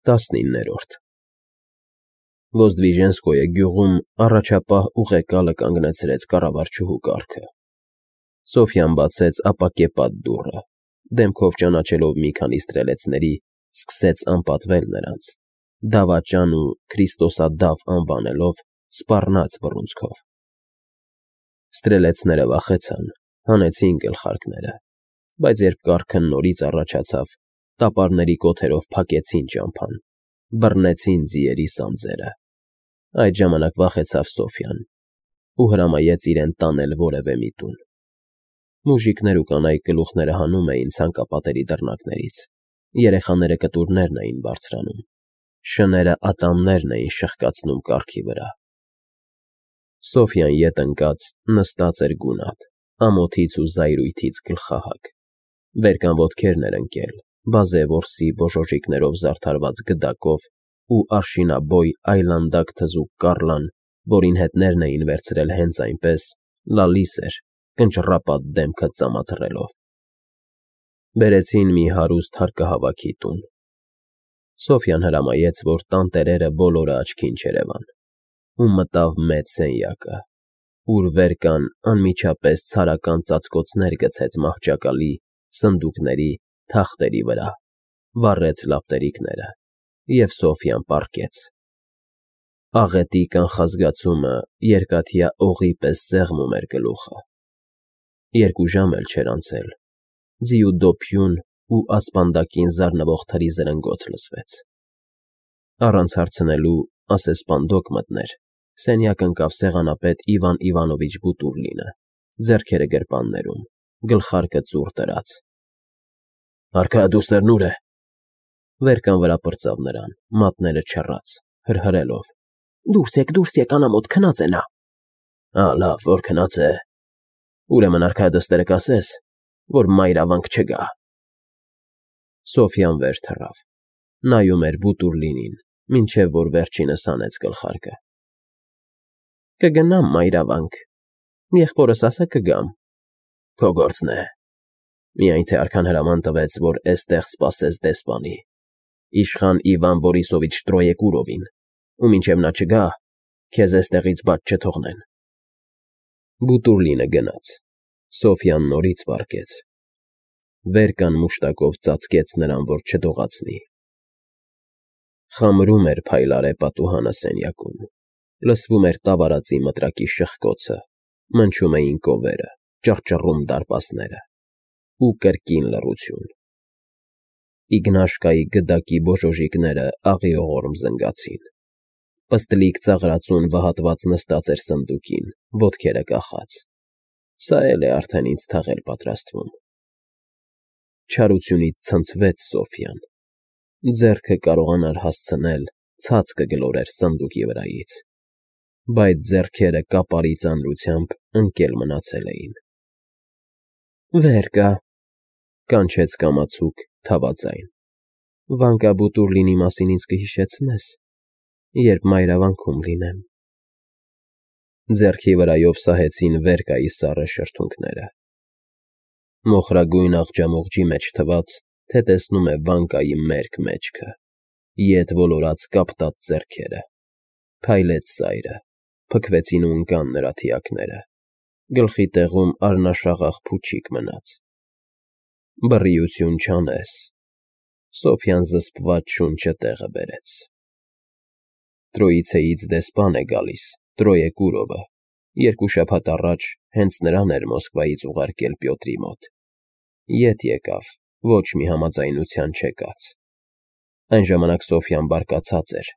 19-րդ Ոզդվիժենսկոյե գյուղում առաջապահ ուղեկալը կանգնեցրեց կառավարչուհու կառքը։ Սոֆյան բացեց ապակեպատ դուռը, դեմքով ճանաչելով մի քանի ստրելեցների, սկսեց անպատվել նրանց, դավաճան ու քրիստոսադավ անվանելով, սպառնաց բռունցքով։ Ստրելեցները վախեցան, հանեցին գլխարկները, բայց երբ կառքը նորից առաջացավ, տապարների կոթերով փակեցին ճամփան, բռնեցին ձիերի սանձերը։ Այդ ժամանակ վախեցավ Սոֆյան ու հրամայեց իրեն տանել որևէ մի տուն։ Մուժիկներ ու կանայք գլուխները հանում էին ցանկապատերի դռնակներից, երեխաները կտուրներն էին բարձրանում, շները ատամներն էին շխկացնում կառքի վրա։ Սոֆյան ետ ընկած նստած էր գունատ, ամոթից ու զայրույթից գլխահագ, վերկան ոտքերն էր ընկել, բազե որսի բոժոժիկներով զարդարված գդակով ու արշինաբոյ այլանդակ թզուկ կառլան, որին հետներն էին վերցրել հենց այնպես, լալիս էր, կնճռապատ դեմքը ծամածռելով։ Բերեցին մի հարուստ հարկահավաքի տուն։ Սոֆյան հրամայեց, որ տանտերերը բոլորը աչքին չերևան, ու մտավ մեծ սենյակը, ուր վերկան անմիջապես ցարական ծածկոցներ գցեց մահճակալի, սնդուկների, թախտերի վրա, վառեց լապտերիկները և Սոֆյան պառկեց։ Աղետի կանխազգացումը երկաթյա օղի պես սեղմում էր գլուխը։ 2 ժամ էլ չէր անցել, ձիու դոփյուն ու ասպանդակին զարնվող թրի զրնգոց լսվեց։ Առանց հարցնելու, ասես սպանդոկ մտներ, սենյակ ընկավ սեղանապետ Իվան Իվանովիչ Բուտուռլինը, ձեռքերը գրպաններում, գլխարկը ծուռ դրած։ Արքայադուստերն ուր է։ Վերկան վրա պրծավ նրան, մատները չռած, հրհրելով. Դուրս եք, անամոթ քնած է նա։ Լավ, որ քնած է։ Ուրեմն արքայադստերը կասես, որ մայրավանք չգա։ Սոֆյան վեր թռավ, նայում էր Բուտուռլինին, մինչև որ վերջինս հանեց գլխարկը։ Կգնամ մայրավանք, եղբորս ասա կգամ։ Քո գործն է։ Միայն թե արքան հրաման տվեց, որ էստեղ սպասես դեսպանի, իշխան Իվան Բորիսովիչ Տրոեկուրովին, ու մինչև նա չգա, քեզ էստեղից բաց չթողնեն։ Բուտուռլինը գնաց, Սոֆյան նորից պառկեց։ Վերկան մուշտակով ծածկեց նրան, որ չդողացնի։ Խամրում էր փայլարե պատուհանը սենյակում, լսվում էր տավարածի մտրակի շխկոցը, մնչում էին կովերը, ճռճռում դարպասները ու կրկին լռություն։ Իգնաշկայի գդակի բոժոժիկները աղիողորմ զնգացին։ Պստլիկ ծաղրածուն վհատված նստած էր սնդուկին, ոտքերը կախած։ Սա էլ է արդեն ինձ թաղել պատրաստվում։ Չարությունից ցնցվեց Սոֆյան։ Ձեռքը կարողանար հասցնել, ցած կգլորեր սնդուկի վրայից, բայց ձեռքերը կապարի ծանրությամբ ընկել մնացել էին։ Վեր կա, կանչեց կամացուկ, թավաձայն։ Վանկա Բուտուռլինի մասին ինձ կհիշեցնես, երբ մայրավանքում լինեմ։ Ձեռքի վրայով սահեցին Վերկայի սառը շրթունքները։ Մոխրագույն աղջամուղջի մեջ թված, թե տեսնում է Վանկայի մերկ մեջքը, ետ ոլորած կապտած ձեռքերը։ Փայլեց սայրը, փքվեցին ու ընկան նրա թիակները, գլխի տեղում առնաշաղախ փուչիկ մնաց։ Բռիություն չանես։ Սոֆյան զսպված շունչը տեղը բերեց։ Տրոիցեից դեսպան է գալիս, Տրոեկուրովը, 2 շաբաթ առաջ հենց նրան էր Մոսկվայից ուղարկել Պյոտրի մոտ։ Ետ եկավ, ոչ մի համաձայնության չեկած։ Այն ժամանակ Սոֆյան բարկացած էր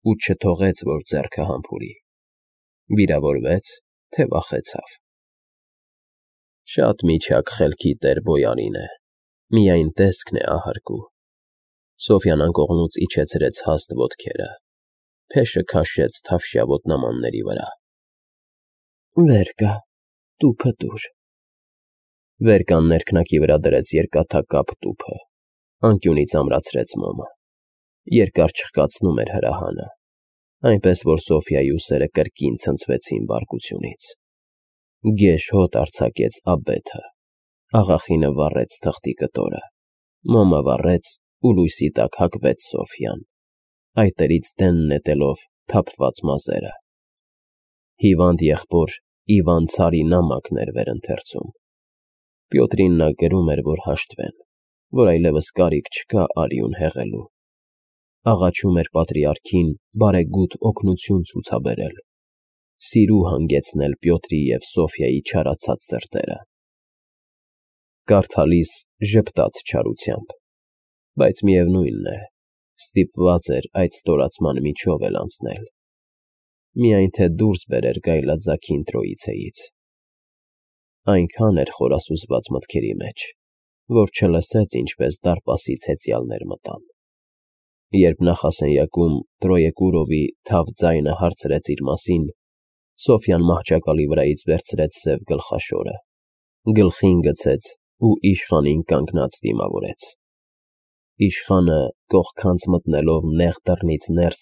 ու չթողեց, որ ձեռքը համբուրի։ Վիրավորվեց, թե վախեցավ։ Շատ միջակ խելքի տեր բոյարին է, միայն տեսքն է ահարկու։ Սոֆյան անկողնուց իջեցրեց հաստ ոտքերը, փեշը քաշեց թավշյա ոտնամանների վրա։ Վեր կա, տուփը տուր։ Վերկան ներքնակի վրա դրեց երկաթակապ տուփը, անկյունից ամրացրեց մոմը։ Երկար չխկացնում էր հրահանը, այնպես որ Սոֆյայի ուսերը կրկին ցնցվեցին բարկությունից։ Գեշ հոտ արձակեց աբեթը, աղախինը վառեց թղթի կտորը, մոմը վառեց ու լույսի տակ հագվեց Սոֆյան, այտերից դեն նետելով թափված մազերը։ Հիվանդ եղբոր Իվան Ցարի նամակն էր վերընթերցում։ Պյոտրին նա գրում էր, որ հաշտվեն, որ այլևս կարիք չկա արյուն հեղելու։ Աղաչում էր պատրիարքին բարեգութ օգնություն ցուցաբերել, սիրու հանգեցնել Պյոտրի և Սոֆյայի չարացած սրտերը։ Կարդալիս ժպտաց չարությամբ, բայց միևնույն է, ստիպված էր այդ ստորացման միջով էլ անցնել, միայն թե դուրս բերեր գայլաձագին Տրոիցեից։ Այնքան էր խորասուզված մտքերի մեջ, որ չլսեց, ինչպես դարպասից հեծյալներ մտան։ Երբ նախասենյակում Տրոեկուրովի թավ ձայնը հարցրեց իր մասին, Սոֆյան մահճակալի վրայից վերցրեց սև գլխաշորը, գլխին գցեց ու իշխանին կանգնած դիմավորեց։ Իշխանը, կողքանց մտնելով նեղ դռնից ներս,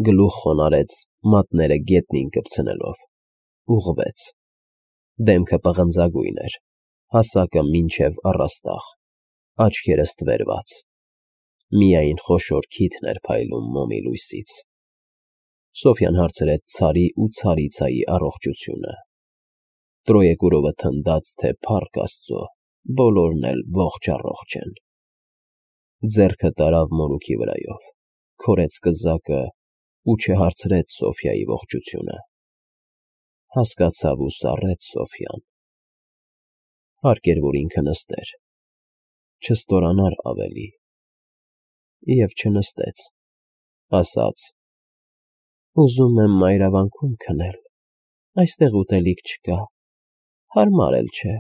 գլուխ խոնարհեց, մատները գետնին կպցնելով, ուղղվեց։ Դեմքը պղնձագույն էր, հասակը մինչև առաստաղ, աչքերը ստվերված։ Միայն խոշոր քիթն էր փայլում մոմի լույսից։ Սոֆյան հարցրեց Ցարի ու Ցարիցայի առողջությունը։ Տրոեկուրովը թնդաց, թե փառք Աստծո, բոլորն էլ ողջ են։ Ձեռքը տարավ մորուքի վրայով, քորեց կզակը ու չհարցրեց Սոֆյայի ողջությունը։ Հասկացավ ու սառեց Սոֆյան։ Հարկ էր, որ ինքը նստեր, չստորանար ավելի։ Եվ չնստեց, ասաց. «Ուզում եմ մայրավանքում քնել, այստեղ ուտելիք չկա, հարմար էլ չէ»։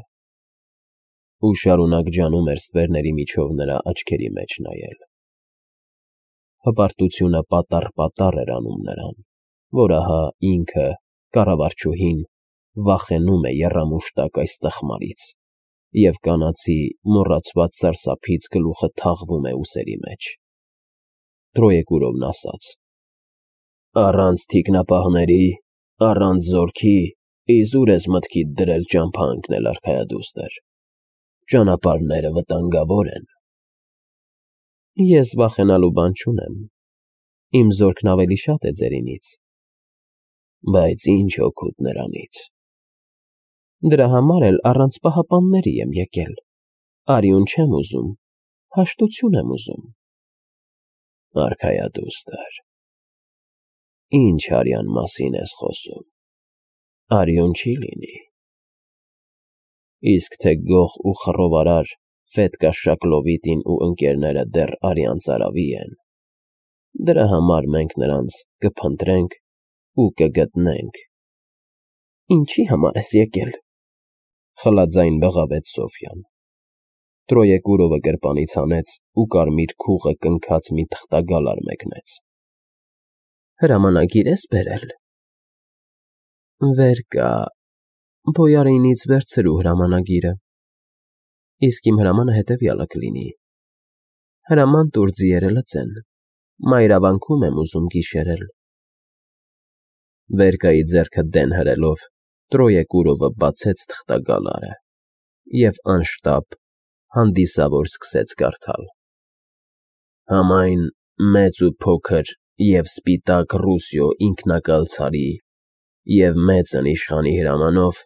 Ու շարունակ ջանում էր ստվերների միջով նրա աչքերի մեջ նայել։ Հպարտությունը պատառ էր անում նրան, որ ահա ինքը, կառավարչուհին, վախենում է եռամուշտակ այս տխմարից, և կանացի մոռացված սարսափից գլուխը թաղվում է ուսերի մեջ։ Տրոեկուրովն ասաց. «Առանց թիկնապահների, առանց զորքի, իզուր ես մտքիդ դրել ճամփա ընկնել արքայադուստր։ Ճանապարհները վտանգավոր են»։ Ես վախենալու բան չունեմ, իմ զորքն ավելի շատ է ձերինից։ Բայց ինչ օգուտ նրանից։ Դրա համար էլ առանց պահապանների եմ եկել, արյուն չեմ ուզում, հաշտություն եմ ուզում։ Արքայադուստր, ինչ արյան մասին ես խոսում, արյուն չի լինի։ Իսկ թե գող ու խռովարար Ֆետկա Շակլովիտին ու ընկերները դեռ արյան ծարավի են, դրա համար մենք նրանց կփնտրենք ու կգտնենք։ Ինչի համար ես եկել, խլաձայն բղավեց Սոֆյան։ Տրոեկուրովը գրպանից հանեց ու կարմիր քուղը կնքած մի թղթագալար մեկնեց։ Հրամանագիր ես բերել։ Վեր կա, բոյարինից վերցրու հրամանագիրը։ Իսկ իմ հրամանը հետևյալը կլինի. հրաման տուր ձիերը լծեն, մայրավանքում եմ ուզում գիշերել։ Վերկայի ձեռքը դեն հրելով, Տրոեկուրովը բացեց թղթագալարը և անշտապ հանդիսավոր սկսեց կարդալ. Համայն մեծ ու փոքր և սպիտակ Ռուսիո ինքնակալ ցարի և մեծն իշխանի հրամանով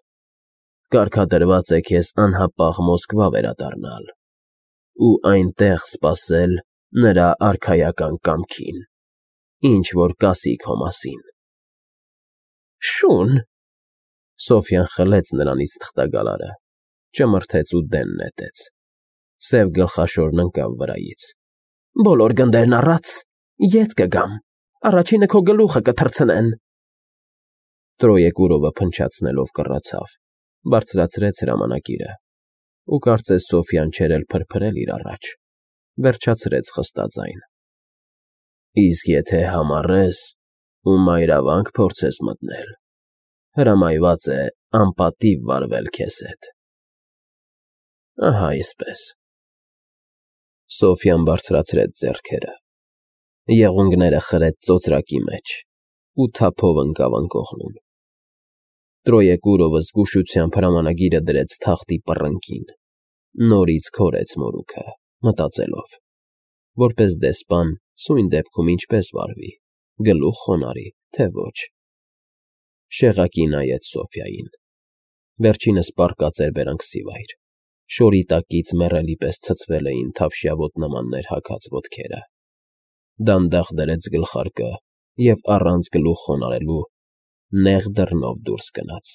կարգադրված է քեզ անհապաղ Մոսկվա վերադառնալ ու այնտեղ սպասել նրա արքայական կամքին, ինչ որ կասի քո մասին։ Շուն… Սոֆյան խլեց նրանից թղթագալարը, ճմրթեց ու դեն նետեց։ Սև գլխաշորն ընկավ վրայից։ Բոլոր գնդերն առած, ետ կգամ, առաջինը քո գլուխը կթռցնեն։ Տրոեկուրովը փնչացնելով կռացավ, բարձրացրեց հրամանագիրը ու կարծես Սոֆյան չէր էլ փրփրել իր առաջ, վերջացրեց խստաձայն. Իսկ եթե համառես ու մայրավանք փորձես մտնել, հրամայված է անպատիվ վարվել քեզ հետ։ Ահա այսպես։ Սոֆյան բարձրացրեց ձեռքերը, եղունգները խրեց ծոծրակի մեջ ու թափով ընկավ անկողնում։ Տրոեկուրովը զգուշությամբ հրամանագիրը դրեց թղթի պռնկին, նորից քորեց մորուքը, մտածելով, որպես դեսպան Սույն դեպքում ինչպես վարվի, գլուխ խոնարհի, թե ոչ… Շեղակի նայեց Սոֆյային. վերջինս պառկած էր բերանքսիվայր, շորի տակից մեռելի պես ցցվել էին թավշյա ոտնամաններ հագած ոտքերը, դանդաղ դրեց գլխարկը և առանց գլուխ խոնարհելու նեղ դռնով դուրս գնաց։